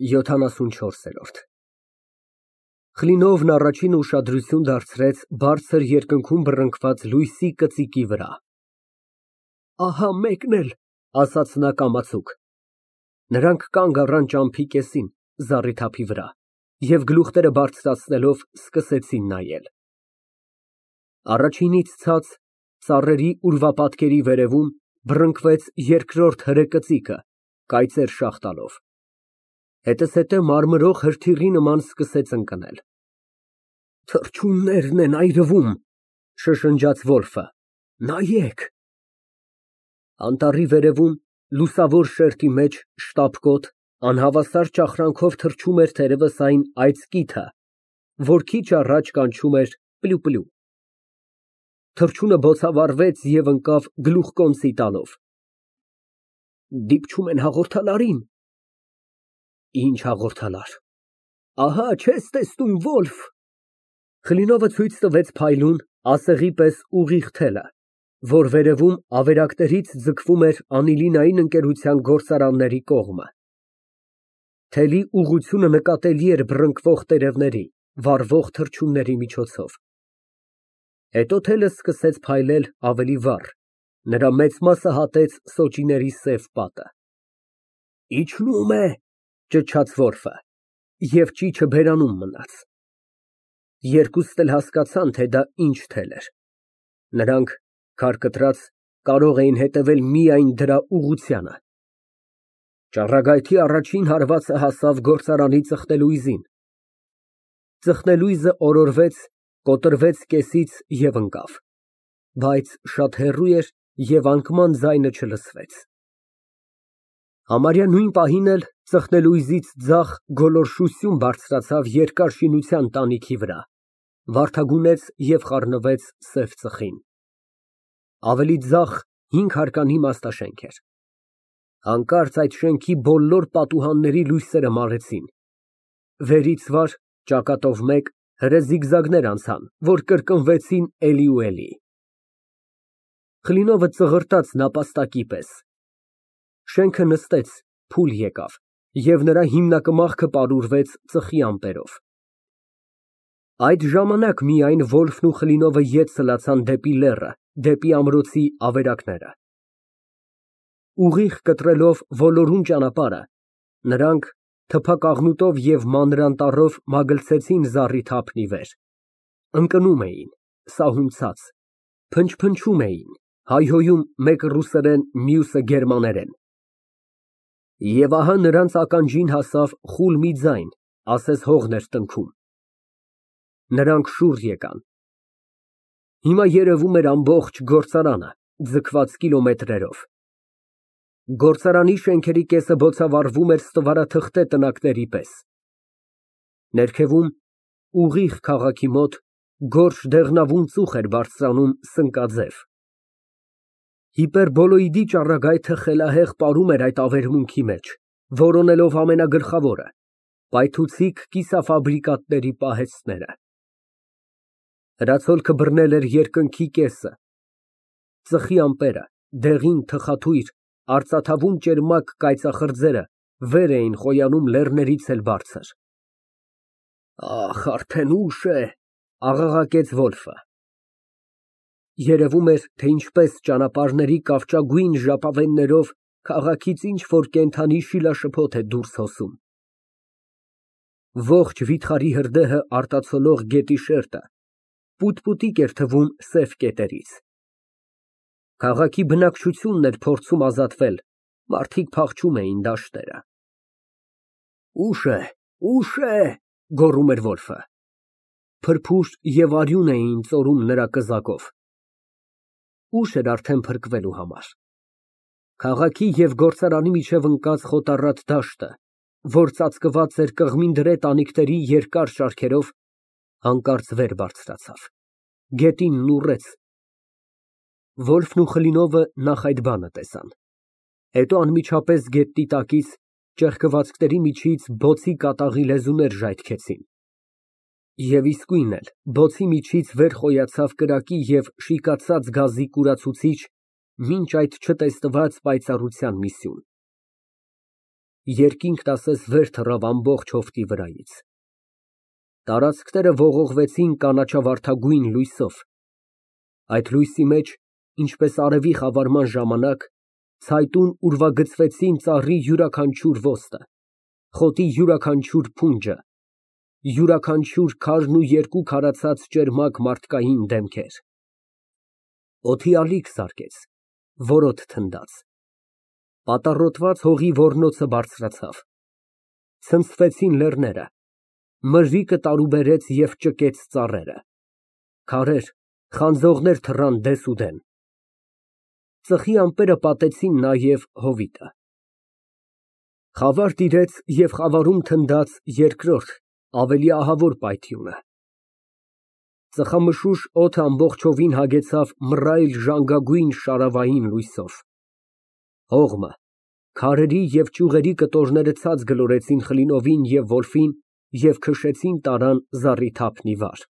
74։ Խլինովն առաջինը ուշադրություն դարձրեց բարձր երկնքում բռնկված լույսի կծիկի վրա։ Ահա մեկն էլ, ասաց նա կամացուկ։ Նրանք կանգ առան ճամփի կեսին, զառիթափի վրա, և գլուխները բարձրացնելով սկսեցին նայել։ Առաջինից ցած, ծառերի ուրվապատկերի վերևում, բռնկվեց երկրորդ հրե կծիկը, կայծեր շաղ տալով։ Հետզհետե մարմրող հրթիռի նման սկսեց ընկնել։ Թռչուններն են այրվում, շշնջաց Վոլֆը, նայեք։ Անտառի վերևում, լուսավոր շերտի մեջ, շտապկոտ, անհավասար ճախրանքով թռչում էր թերևս այն այծկիթը, որ քիչ առաջ կանչում էր պլյու։ Թռչունը բոցավառվեց և ընկավ գլուխկոնցի տալով։ Դիպչում են հաղորդալարին։ Ինչ հաղորդալար։ Ահա, չես տեսնում, Վոլֆ։ Խլինովը ցույց տվեց փայլուն, ասեղի պես ուղիղ թելը, որ վերևում ավերակներից ձգվում էր անիլինային ընկերության գործարանների կողմը։ Թելի ուղղությունը նկատելի էր բռնկվող տերևների, վառվող թռչունների միջոցով։ Հետո թելը սկսեց փայլել ավելի վառ, նրա մեծ մասը հատեց սոճիների սև պատը։ Իջնում է, ճչաց Վոլֆը, և ճիչը բերանում մնաց։ Երկուստ էլ հասկացան, թե դա ինչ թել էր։ Նրանք, քար կտրած, կարող էին հետևել միայն դրա ուղղությանը։ Ճառագայթի առաջին հարվածը հասավ գործարանի ծխնելույզին։ Ծխնելույզը օրորվեց, կոտրվեց կեսից և ընկավ, բայց շատ հեռու էր և անկման ձայնը չլսվեց։ Համարյա նույն պահին էլ ծխնելույզից ձախ գոլորշություն բարձրացավ երկար շինության տանիքի վրա, վարդագունեց և խառնվեց սև ծխին։ Ավելի ձախ 5 հարկանի իմաստաշենք էր։ Հանկարծ այդ շենքի բոլոր պատուհանների լույսերը մարեցին։ Վերից վար, ճակատով մեկ, հրե զիգզագներ անցան, որ կրկնվեցին էլի ու էլի։ Խլինովը ծղրտաց նապաստակի պես։ Շենքը նստեց, փուլ եկավ, և նրա հիմնակմախքը պարուրվեց ծխի ամպերով։ Այդ ժամանակ միայն Վոլֆն ու Խլինովը ետ սլացան դեպի լեռը, դեպի ամրոցի ավերակները։ Ուղիղ կտրելով ոլորուն ճանապարհը, նրանք թփակաղնուտով և մանրանտառով մագլցեցին զառիթափն ի վեր։ Ընկնում էին, սահուն ցած, փնչփնչում էին, հայհոյում մեկը ռուսերեն, մյուսը գերմաներեն։ Եվ ահա նրանց ականջին հասավ խուլ մի ձայն, ասես հողն էր տնքում։ Նրանք շուռ եկան։ Հիմա երևում էր ամբողջ գործարանը, ձգված կիլոմետրերով։ Գործարանի շենքերի կեսը բոցավառվում էր ստվարաթղթե տնակների պես։ Ներքևում, ուղիղ քաղաքի մոտ, գորշ դեղնավուն ծուխ էր բարձրանում սնկաձև։ Հիպերբոլոիդի ճառագայթը խելահեղ պարում էր այդ ավերմունքի մեջ, որոնելով ամենագլխավորը՝ պայթուցիկ կիսաֆաբրիկատների պահեստները։ Հրացոլքը բռնել էր երկնքի կեսը։ Ծխի ամպերը, դեղին, թխաթույր, արծաթավուն ճերմակ կայծախրձերը վեր էին խոյանում լեռներից էլ բարձր։ Ահ, արդեն ուշ է, աղաղակեց Վոլֆը։ Երևում էր, թե ինչպես ճանապարհների կավճագույն ժապավեններով քաղաքից ինչ֊որ կենդանի շիլաշփոթ է դուրս հոսում։ Ողջ վիթխարի հրդեհը արտացոլող գետի շերտը պուտ֊պուտիկ էր թվում սև կետերից։ Քաղաքի բնակչությունն էր փորձում ազատվել, մարդիկ փախչում էին դաշտերը։ Ուշ է, գոռում էր Վոլֆը։ Փրփուր և արյուն էին ծորում նրա կզակով։ Ուշ էր արդեն փրկվելու համար։ Քաղաքի և գործարանի միջև ընկած խոտառատ դաշտը, որ ծածկված էր կղմինդրե տանիքների երկար շարքերով, հանկարծ վեր բարձրացավ, գետինն ուռեց։ Վոլֆն ու Խլինովը նախ այդ բանը տեսան, հետո անմիջապես գետնի տակից, ճեղքվածքների միջից բոցի կատաղի լեզուներ ժայթքեցին։ Եվ իսկույն էլ բոցի միջից վեր խոյացավ կրակի և շիկացած գազի կուրացուցիչ, մինչ այդ չտեսնված պայծառության մի սյուն։ Երկինքն ասես վեր թռավ ամբողջ հովտի վրայից։ Տարածքները ողողվեցին կանաչավարդագույն լույսով, այդ լույսի մեջ, ինչպես արևի խավարման ժամանակ, ցայտուն ուրվագծվեցին ծառի յուրաքանչյուր ոստ, խոտի յուրաքանչյուր փունջը, յուրաքանչյուր քարն ու երկու քարացած ճերմակ մարդկային դեմքեր։ Օդի ալիք զարկեց, որոտ թնդաց, պատառոտված հողի ոռնոցը բարձրացավ, ցնցվեցին լեռները, մրրիկը տարուբերեց և ճկեց ծառերը, քարեր, խանձողներ թռան դեսուդեն, ծխի ամպերը պատեցին նաև հովիտը։ Խավար տիրեց և խավարում թնդաց երկրորդ, ավելի ահավոր պայթյունը։ Ծխամշուշ օդը ամբողջովին հագեցավ մռայլ ժանգագույն շարավային լույսով։ Հողմը, քարերի և ճյուղերի կտորները ցած գլորեցին Խլինովին և Վոլֆին և քշեցին տարան զառիթափն ի վար։